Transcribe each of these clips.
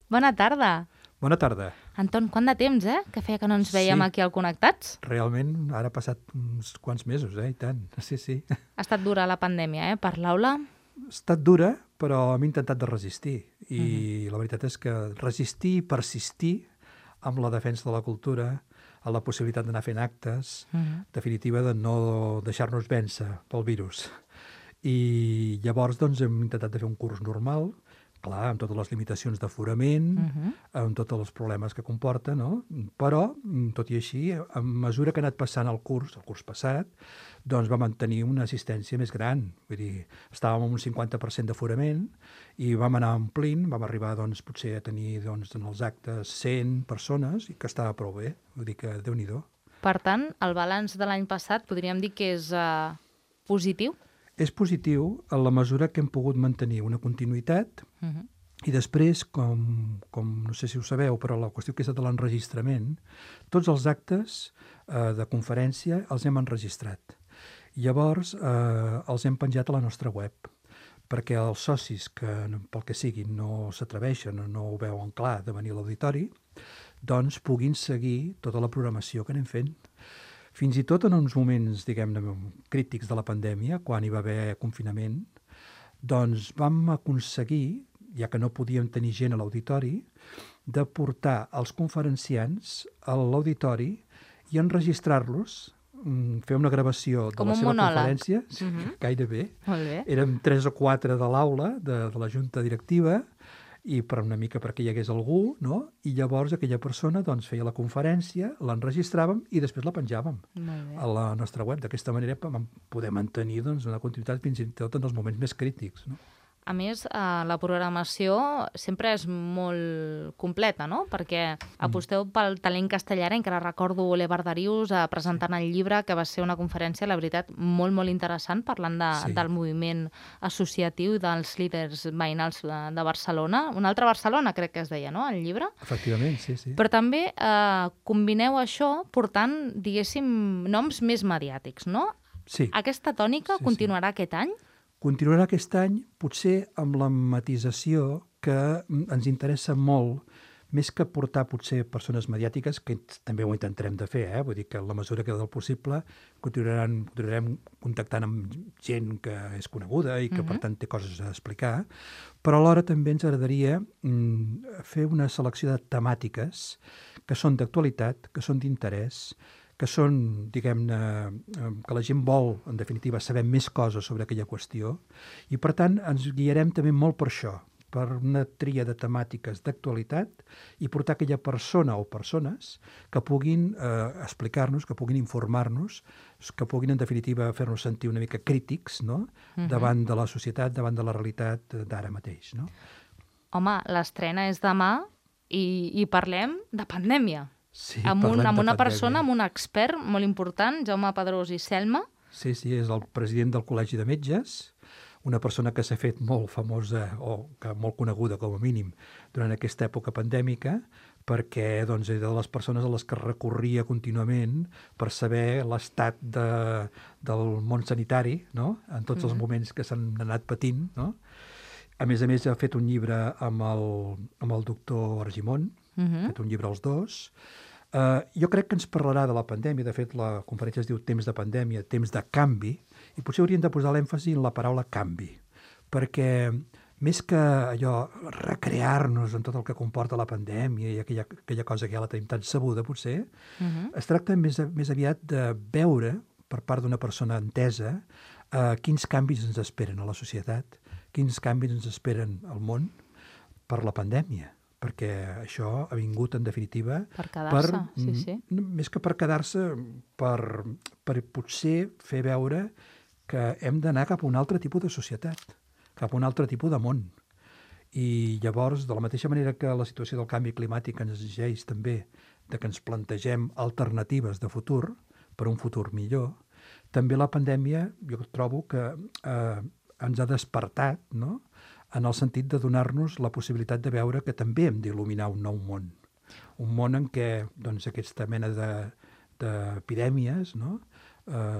Bona tarda. Bona tarda. Anton, quant de temps, que feia que no ens veiem aquí al Connectats? Realment, ara ha passat uns quants mesos, i tant. Sí. Ha estat dura la pandèmia, per l'aula? Ha estat dura, però hem intentat de resistir. I la veritat és que resistir i persistir amb la defensa de la cultura, a la possibilitat d'anar fent actes, definitiva de no deixar-nos vèncer pel virus. I llavors doncs, hem intentat de fer un curs normal, clar, amb totes les limitacions d'aforament, amb tots els problemes que comporta, no? Però, tot i així, a mesura que ha anat passant el curs passat, doncs va mantenir una assistència més gran. Vull dir, estàvem amb un 50% d'aforament i vam anar omplint, vam arribar doncs, potser a tenir doncs, en els actes 100 persones i que estava prou bé. Vull dir que Déu-n'hi-do. Per tant, el balanç de l'any passat podríem dir que és positiu? És positiu en la mesura que hem pogut mantenir una continuïtat i després, com no sé si ho sabeu, però la qüestió que és de l'enregistrament, tots els actes de conferència els hem enregistrat. Llavors, els hem penjat a la nostra web, perquè els socis que, pel que siguin, no s'atreveixen o no ho veuen clar de venir a l'auditori, doncs puguin seguir tota la programació que anem fent. Fins i tot en uns moments, diguem-ne, crítics de la pandèmia, quan hi va haver confinament, doncs vam aconseguir, ja que no podíem tenir gent a l'auditori, de portar els conferenciants a l'auditori i enregistrar-los, fer una gravació de la seva conferència, gairebé. Érem 3 o 4 de l'aula, de la junta directiva, i per una mica perquè hi hagués algú, no? I llavors aquella persona doncs, feia la conferència, l'enregistràvem i després la penjàvem a la nostra web. D'aquesta manera vam poder mantenir doncs, una continuïtat fins i tot en els moments més crítics, no? A més, la programació sempre és molt completa, no? Perquè aposteu pel talent castellà. Encara recordo l'Evar Darius presentant el llibre, que va ser una conferència, la veritat, molt, molt interessant, parlant del moviment associatiu dels líders veïnals de Barcelona. Una altra Barcelona, crec que es deia, no?, el llibre. Efectivament, sí. Però també combineu això portant, diguéssim, noms més mediàtics, no? Sí. Aquesta tònica continuarà aquest any? Continuarà aquest any, potser amb la matisació que ens interessa molt, més que portar potser persones mediàtiques, que també ho intentarem de fer, vull dir que en la mesura que del possible continuarem contactant amb gent que és coneguda i que per tant té coses a explicar, però alhora també ens agradaria fer una selecció de temàtiques que són d'actualitat, que són d'interès, que són, diguem-ne, que la gent vol, en definitiva, saber més coses sobre aquella qüestió, i per tant ens guiarem també molt per això, per una tria de temàtiques d'actualitat i portar aquella persona o persones que puguin explicar-nos, que puguin informar-nos, que puguin, en definitiva, fer-nos sentir una mica crítics, no?, davant de la societat, davant de la realitat d'ara mateix, no? Home, l'estrena és demà i parlem de pandèmia. Sí, amb una persona, amb un expert molt important, Jaume Pedrós i Selma. Sí, és el president del Col·legi de Metges, una persona que s'ha fet molt famosa o que molt coneguda com a mínim durant aquesta època pandèmica, perquè doncs, era de les persones a les que recorria contínuament per saber l'estat del món sanitari, no?, en tots els moments que s'han anat patint, no? A més, ha fet un llibre amb el doctor Argimon, ha fet un llibre als dos. Jo crec que ens parlarà de la pandèmia. De fet, la conferència es diu Temps de pandèmia, temps de canvi, i potser hauríem de posar l'èmfasi en la paraula canvi, perquè més que allò recrear-nos en tot el que comporta la pandèmia i aquella cosa que ja la tenim tan sabuda, potser, es tracta més aviat de veure, per part d'una persona entesa, quins canvis ens esperen a la societat, quins canvis ens esperen al món per la pandèmia, perquè això ha vingut, en definitiva, per quedar-se, sí. Més que per quedar-se, per potser fer veure que hem d'anar cap a un altre tipus de societat, cap a un altre tipus de món. I llavors, de la mateixa manera que la situació del canvi climàtic ens exigeix també de que ens plantegem alternatives de futur, per un futur millor, també la pandèmia, jo trobo que ens ha despertat, no?, en el sentit de donar-nos la possibilitat de veure que també hem d'il·luminar un nou món. Un món en què doncs, aquesta mena d'epidèmies, no?,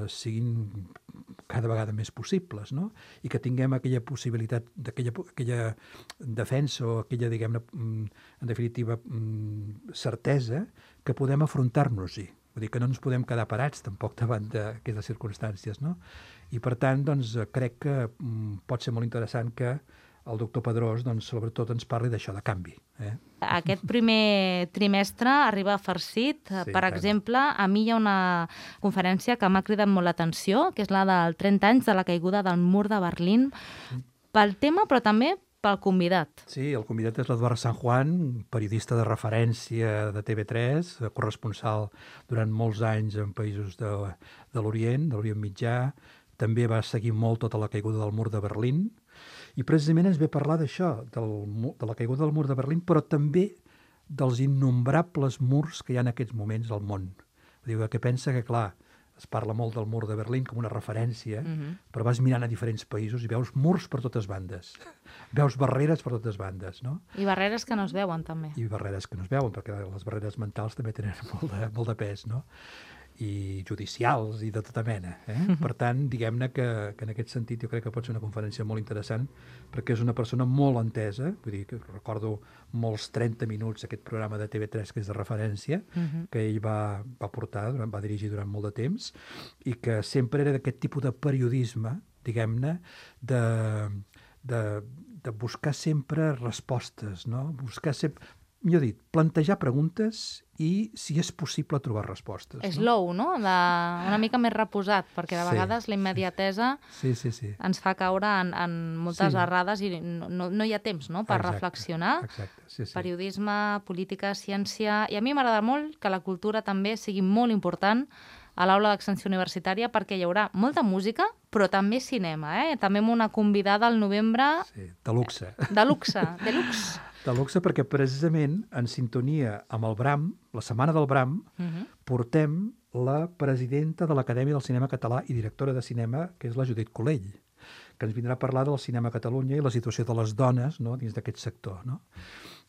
siguin cada vegada més possibles, no? I que tinguem aquella possibilitat, aquella defensa o aquella, diguem-ne, en definitiva, certesa que podem afrontar-nos-hi. Vull dir que no ens podem quedar parats tampoc davant d'aquestes circumstàncies, no? I per tant, doncs, crec que pot ser molt interessant que el doctor Pedrós, doncs, sobretot ens parli d'això, de canvi. Aquest primer trimestre arriba farcit. Sí, per exemple, a mi hi ha una conferència que m'ha cridat molt l'atenció, que és la del 30 anys de la caiguda del mur de Berlín, pel tema, però també pel convidat. Sí, el convidat és l'Eduard San Juan, periodista de referència de TV3, corresponsal durant molts anys en països de l'Orient, de l'Orient Mitjà. També va seguir molt tota la caiguda del mur de Berlín. I precisament ens ve a parlar d'això, de la caiguda del mur de Berlín, però també dels innombrables murs que hi ha en aquests moments al món. Diu que pensa que, clar, es parla molt del mur de Berlín com una referència, però vas mirant a diferents països i veus murs per totes bandes. Veus barreres per totes bandes, no? I barreres que no es veuen, també. I barreres que no es veuen, perquè les barreres mentals també tenen molt de pes, no? I judicials i de tota mena. Per tant, diguem-ne que en aquest sentit jo crec que pot ser una conferència molt interessant perquè és una persona molt entesa, vull dir que recordo molts 30 minuts aquest programa de TV3 que és de referència, que ell va portar, va dirigir durant molt de temps i que sempre era d'aquest tipus de periodisme, diguem-ne, de buscar sempre respostes, no? Buscar sempre, millor dit, plantejar preguntes i, si és possible, trobar respostes. Slow, no? Una mica més reposat, perquè de vegades la immediatesa ens fa caure en moltes errades i no hi ha temps, no?, per reflexionar. Exacte. Periodisme, política, ciència... I a mi m'agrada molt que la cultura també sigui molt important a l'aula d'extensió universitària perquè hi haurà molta música, però també cinema, També amb una convidada al novembre... Sí, de luxe. De luxe, de luxe. De luxe perquè precisament en sintonia amb el Bram, la Setmana del Bram, portem la presidenta de l'Acadèmia del Cinema Català i directora de cinema, que és la Judit Colell, que ens vindrà a parlar del cinema a Catalunya i la situació de les dones, no?, dins d'aquest sector, no?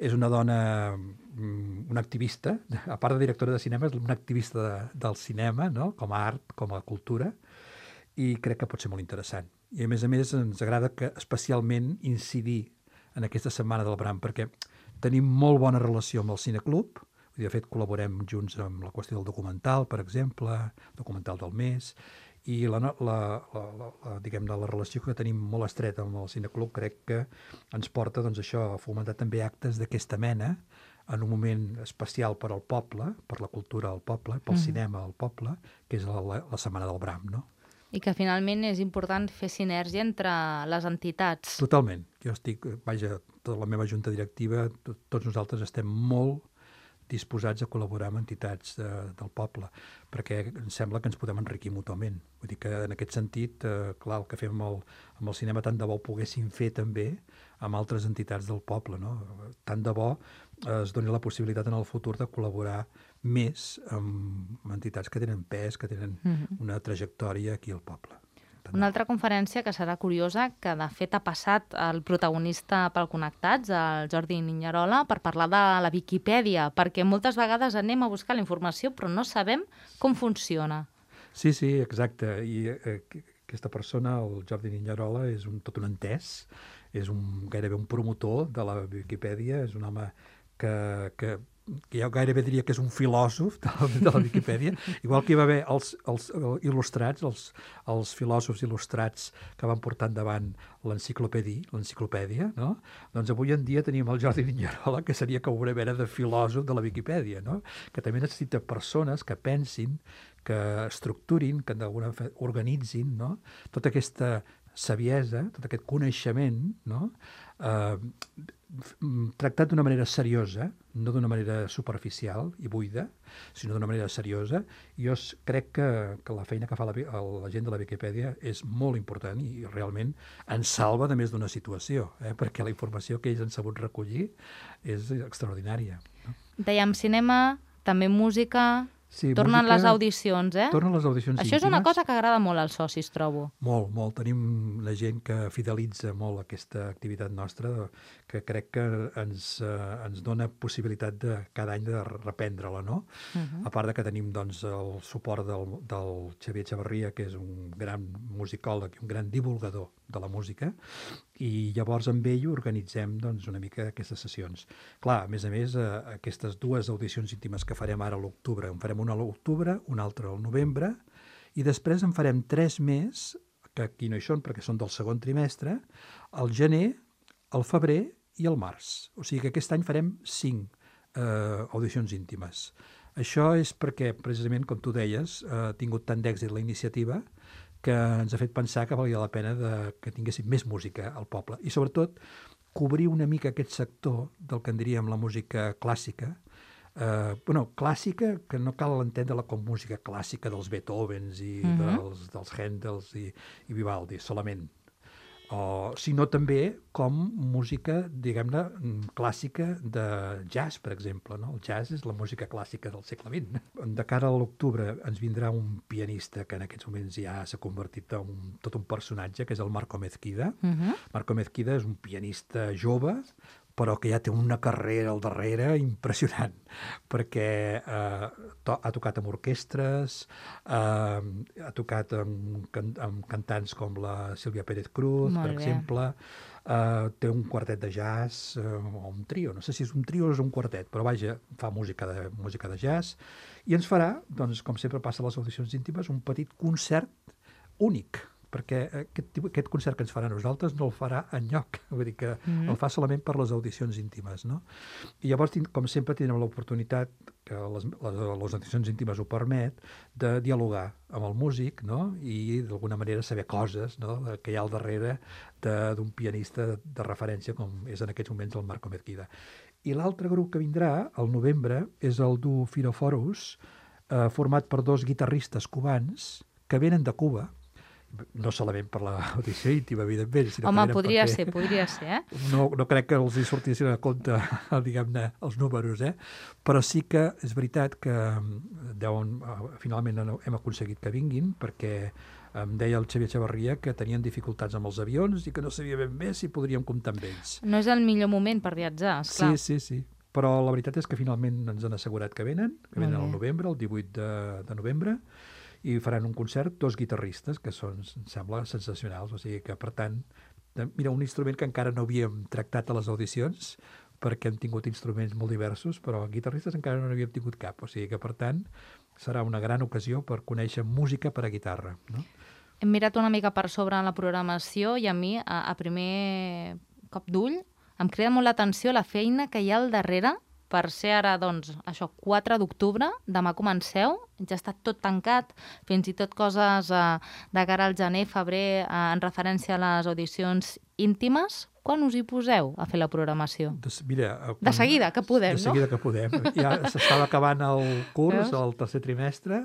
És una dona, una activista, a part de directora de cinema, és una activista del cinema, no?, com a art, com a cultura, i crec que pot ser molt interessant. I a més ens agrada que especialment incidir en aquesta Setmana del Bram, perquè tenim molt bona relació amb el Cineclub, de fet col·laborem junts amb la qüestió del documental, per exemple, documental del mes, i diguem-ne, la relació que tenim molt estreta amb el Cineclub crec que ens porta, doncs, això, a fomentar també actes d'aquesta mena en un moment especial per al poble, per la cultura del poble, pel cinema del poble, que és la Setmana del Bram, no? I que finalment és important fer sinergia entre les entitats. Totalment. Jo estic, tota la meva junta directiva, tots nosaltres estem molt disposats a col·laborar amb entitats del poble, perquè em sembla que ens podem enriquir mútuament. Vull dir que en aquest sentit, clar, el que fem amb el cinema tant de bo ho poguéssim fer també amb altres entitats del poble, no? Tant de bo es doni la possibilitat en el futur de col·laborar més amb entitats que tenen pes, que tenen una trajectòria aquí al poble. Una altra conferència que serà curiosa, que de fet ha passat el protagonista pel Connectats, el Jordi Niñarola, per parlar de la Viquipèdia, perquè moltes vegades anem a buscar la informació però no sabem com funciona. Sí, exacte. I aquesta persona, el Jordi Niñarola, és tot un entès, és gairebé un promotor de la Viquipèdia, és un home que jo gairebé diria que és un filòsof de la Viquipèdia, igual que hi va haver els il·lustrats, els filòsofs il·lustrats que van portar endavant l'enciclopèdia, no? Doncs avui en dia tenim el Jordi Niñarola, que seria com una mena de filòsof de la Viquipèdia, no? Que també necessita persones que pensin, que estructurin, que d'alguna manera organitzin, no? Tota aquesta saviesa, tot aquest coneixement, no? Tractat d'una manera seriosa, no d'una manera superficial i buida, sinó d'una manera seriosa. Jo crec que la feina que fa la gent de la Viquipèdia és molt important i realment ens salva de més d'una situació, perquè la informació que ells han sabut recollir és extraordinària. Dèiem cinema, també música, Sí, Tornen música... les audicions, eh? Tornen les audicions Això és una íntimes. cosa que agrada molt als socis, trobo. Molt, molt. Tenim la gent que fidelitza molt aquesta activitat nostra, que crec que ens dona possibilitat de cada any de reprendre-la, no? A part de que tenim doncs, el suport del Xavier Xavarria, que és un gran musicòleg i un gran divulgador de la música, i llavors amb ell organitzem doncs, una mica aquestes sessions. Clar, a més, aquestes dues audicions íntimes que farem ara a l'octubre, en farem una a l'octubre, una altra al novembre, i després en farem 3 més, que aquí no hi són perquè són del segon trimestre, al gener, al febrer i al març. O sigui que aquest any farem 5 audicions íntimes. Això és perquè, precisament, com tu deies, ha tingut tant d'èxit la iniciativa que ens ha fet pensar que valia la pena que tinguéssim més música al poble. I, sobretot, cobrir una mica aquest sector del que en diríem la música clàssica. Clàssica, que no cal entendre-la com música clàssica dels Beethovens i dels Händels i Vivaldi, solament. Sinó també com música, diguem-ne, clàssica de jazz, per exemple. No? El jazz és la música clàssica del segle XX. De cara a l'octubre ens vindrà un pianista que en aquests moments ja s'ha convertit en tot un personatge, que és el Marco Mezquida. Marco Mezquida és un pianista jove, però que ja té una carrera al darrere impressionant, perquè ha tocat amb orquestres, ha tocat amb cantants com la Sílvia Pérez Cruz, per exemple, té un quartet de jazz, o un trio, no sé si és un trio o és un quartet, però vaja, fa música de jazz, i ens farà, doncs, com sempre passa a les audicions íntimes, un petit concert únic, perquè aquest concert que ens farà a nosaltres no el farà enlloc, vull dir que el fa solament per les audicions íntimes, no? I llavors, com sempre, tindrem l'oportunitat, que les audicions íntimes ho permet, de dialogar amb el músic, no? I d'alguna manera saber coses, no? Que hi ha al darrere d'un pianista de referència, com és en aquests moments el Marco Mezquida. I l'altre grup que vindrà, al novembre, és el duo Firoforus, format per 2 guitarristes cubans que venen de Cuba, no solament per l'audició íntima, evidentment, sinó home, que podria ser, eh? No crec que els hi sortissin a compte, diguem-ne, els números, però sí que és veritat que finalment hem aconseguit que vinguin, perquè em deia el Xavier Xavarria que tenien dificultats amb els avions i que no sabia ben bé si podríem comptar amb ells. No és el millor moment per viatjar, esclar. Sí. Però la veritat és que finalment ens han assegurat que venen al novembre, el 18 de novembre, i faran un concert 2 guitarristes, que són, em sembla, sensacionals. O sigui que, per tant, mira, un instrument que encara no havíem tractat a les audicions, perquè hem tingut instruments molt diversos, però guitarristes encara no n'havíem tingut cap. O sigui que, per tant, serà una gran ocasió per conèixer música per a guitarra, no? Hem mirat una mica per sobre la programació i a mi, a primer cop d'ull, em crida molt l'atenció la feina que hi ha al darrere per ser ara, doncs, això, 4 d'octubre, demà comenceu, ja està tot tancat, fins i tot coses de cara al gener, febrer, en referència a les audicions íntimes. Quan us hi poseu a fer la programació? Mira, de seguida, que podem, no? De seguida que podem. Ja s'estava acabant el curs, el tercer trimestre,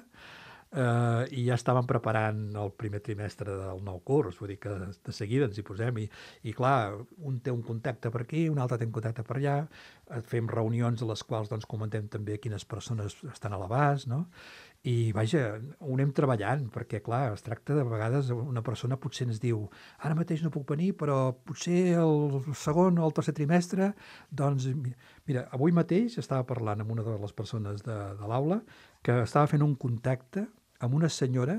i ja estàvem preparant el primer trimestre del nou curs, vull dir que de seguida ens hi posem i clar, un té un contacte per aquí, un altre té un contacte per allà, fem reunions a les quals doncs, comentem també quines persones estan a l'abast, no? I vaja, ho anem treballant, perquè clar, es tracta de vegades, una persona potser ens diu ara mateix no puc venir, però potser el segon o el tercer trimestre, doncs mira, avui mateix estava parlant amb una de les persones de l'aula que estava fent un contacte amb una senyora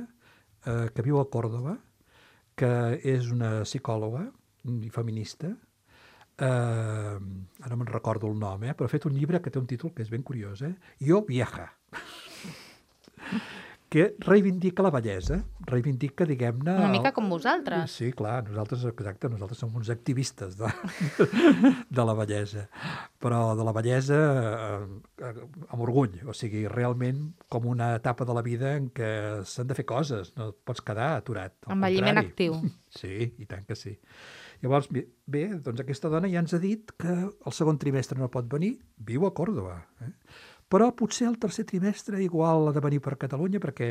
que viu a Còrdova, que és una psicòloga i feminista, ara no me'n recordo el nom, però ha fet un llibre que té un títol que és ben curiós, Yo vieja, que reivindica la bellesa, reivindica, diguem-ne... Una mica com vosaltres. Sí, clar, nosaltres som uns activistes de la bellesa, però de la bellesa amb orgull, o sigui, realment com una etapa de la vida en què s'han de fer coses, no et pots quedar aturat. Envelliment actiu. Sí, i tant que sí. Llavors, bé, doncs aquesta dona ja ens ha dit que el segon trimestre no pot venir, viu a Còrdova, però potser el tercer trimestre igual ha de venir per Catalunya perquè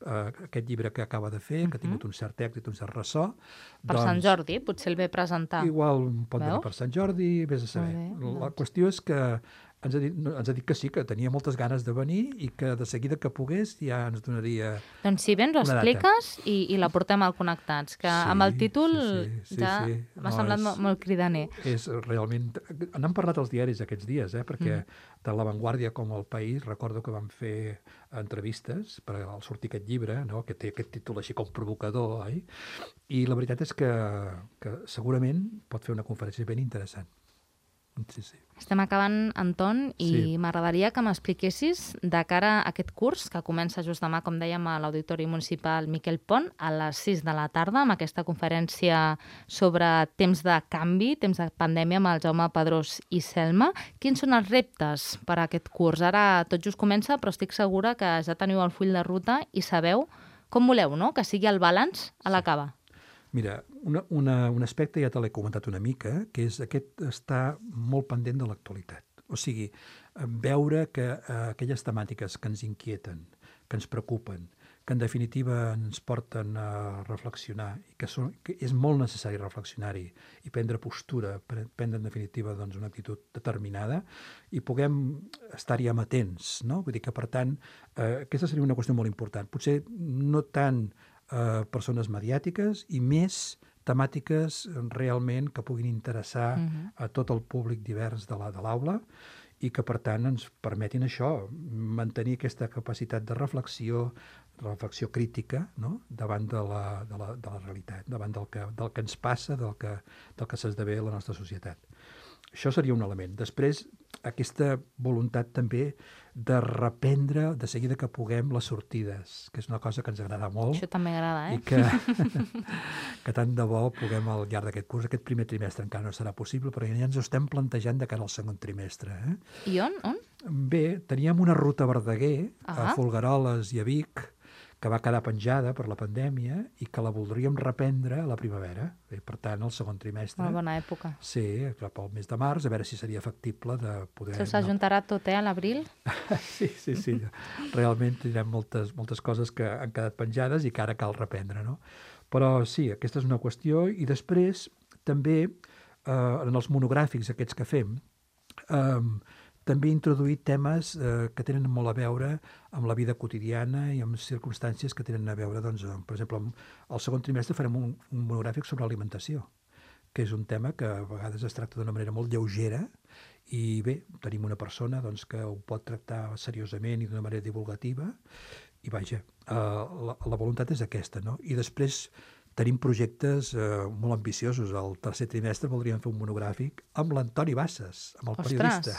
aquest llibre que acaba de fer, que ha tingut un cert èxit, un cert ressò... Per Sant Jordi, potser el ve presentar. Igual pot venir per Sant Jordi, vés a saber. La qüestió és que ens ha dit que sí, que tenia moltes ganes de venir i que de seguida que pogués ja ens donaria Doncs si vens ho una data. expliques i la portem al Connectats, que amb el títol sí. m'ha semblat molt cridaner. És realment... N'han parlat els diaris aquests dies, perquè tant La Vanguardia com El País recordo que van fer entrevistes per al sortir aquest llibre, no? Que té aquest títol així com provocador, oi? I la veritat és que segurament pot fer una conferència ben interessant. Sí. Estem acabant, Anton, i m'agradaria que m'expliquessis de cara a aquest curs, que comença just demà, com dèiem, a l'Auditori Municipal Miquel Pont, a les 6 de la tarda, amb aquesta conferència sobre temps de canvi, temps de pandèmia, amb el Jaume Pedrós i Selma. Quins són els reptes per a aquest curs? Ara tot just comença, però estic segura que ja teniu el full de ruta i sabeu com voleu, no?, que sigui el balanç a l'acaba. Mira, un aspecte ja te l'he comentat una mica, que és aquest estar molt pendent de l'actualitat. O sigui, veure que aquelles temàtiques que ens inquieten, que ens preocupen, que en definitiva ens porten a reflexionar, i que és molt necessari reflexionar-hi i prendre postura, prendre en definitiva una actitud determinada, i puguem estar-hi amatents, no? Vull dir que, per tant, aquesta seria una qüestió molt important. Potser no tant persones mediàtiques i més temàtiques realment que puguin interessar a tot el públic divers de l'aula i que, per tant, ens permetin això, mantenir aquesta capacitat de reflexió crítica, no?, davant de la realitat, davant del que ens passa, del que s'esdevé a la nostra societat. Això seria un element. Després, aquesta voluntat també de reprendre de seguida que puguem les sortides, que és una cosa que ens agrada molt. Això també agrada, I que tant de bo puguem al llarg d'aquest curs, aquest primer trimestre encara no serà possible, però ja ens ho estem plantejant de cara al segon trimestre. I on? Bé, teníem una ruta a Verdaguer, a Folgueroles i a Vic, que va quedar penjada per la pandèmia i que la voldríem reprendre a la primavera. Bé, per tant, al segon trimestre. Una bona època. Sí, cap al mes de març, a veure si seria factible de poder... Això s'ajuntarà tot, a l'abril? Sí. Realment tindrem moltes coses que han quedat penjades i que ara cal reprendre, no? Però sí, aquesta és una qüestió. I després, també, en els monogràfics aquests que fem, també introduir temes que tenen molt a veure amb la vida quotidiana i amb circumstàncies que tenen a veure, doncs, per exemple, al segon trimestre farem un monogràfic sobre alimentació, que és un tema que a vegades es tracta d'una manera molt lleugera i bé, tenim una persona doncs, que ho pot tractar seriosament i d'una manera divulgativa i vaja, la voluntat és aquesta, no? I després tenim projectes molt ambiciosos. Al tercer trimestre voldríem fer un monogràfic amb l'Antoni Bassas, amb el periodista.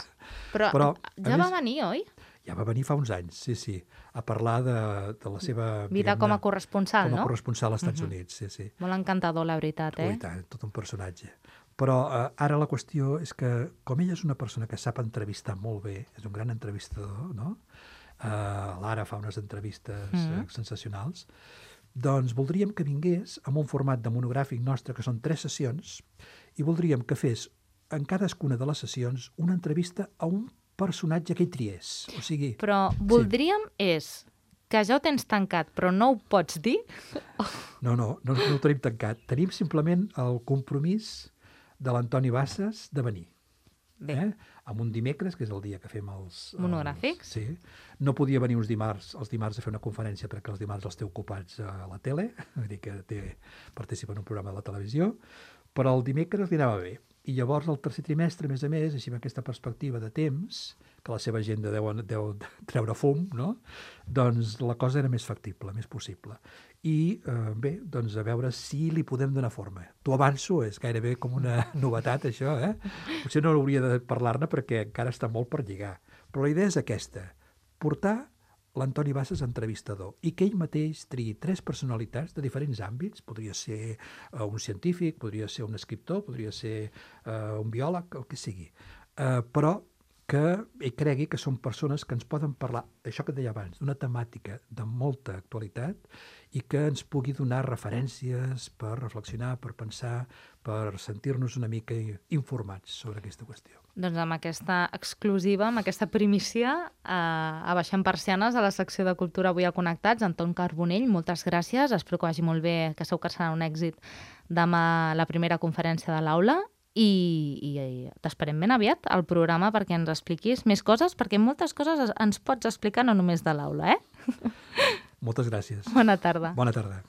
Però ja va venir, oi? Ja va venir fa uns anys, sí, a parlar de la seva... Vida com a corresponsal, no? Com a corresponsal als Estats Units, sí. Molt encantador, la veritat, I tant, tot un personatge. Però ara la qüestió és que, com ella és una persona que sap entrevistar molt bé, és un gran entrevistador, no? L'Ara fa unes entrevistes sensacionals, doncs voldríem que vingués amb un format de monogràfic nostre, que són 3 sessions, i voldríem que fes en cadascuna de les sessions una entrevista a un personatge que hi triés. O sigui... Però voldríem és que ja ho tens tancat, però no ho pots dir? No ho tenim tancat. Tenim simplement el compromís de l'Antoni Bassas de venir. Amb un dimecres, que és el dia que fem els... monogràfics? Sí. No podia venir els dimarts a fer una conferència perquè els dimarts els té ocupats a la tele, vull dir que participa en un programa de la televisió, però el dimecres li anava bé. I llavors el tercer trimestre, a més, així amb aquesta perspectiva de temps, que la seva agenda deu treure fum, no? Doncs la cosa era més factible, més possible. I bé, doncs a veure si li podem donar forma. T'ho avanço, és gairebé com una novetat això, Potser no hauria de parlar-ne perquè encara està molt per lligar. Però la idea és aquesta, portar l'Antoni Bassas entrevistador i que ell mateix triï 3 personalitats de diferents àmbits, podria ser un científic, podria ser un escriptor, podria ser un biòleg, el que sigui, però que ell cregui que són persones que ens poden parlar, això que et deia abans, d'una temàtica de molta actualitat i que ens pugui donar referències per reflexionar, per pensar, per sentir-nos una mica informats sobre aquesta qüestió. Doncs amb aquesta exclusiva, amb aquesta primícia, a Baixant Persianes, a la secció de Cultura avui a Connectats, Anton Carbonell, moltes gràcies, espero que vagi molt bé, que segur que serà un èxit demà la primera conferència de l'aula, i t'esperem ben aviat al programa perquè ens expliquis més coses, perquè moltes coses ens pots explicar no només de l'aula, eh? Moltes gràcies. Bona tarda. Bona tarda.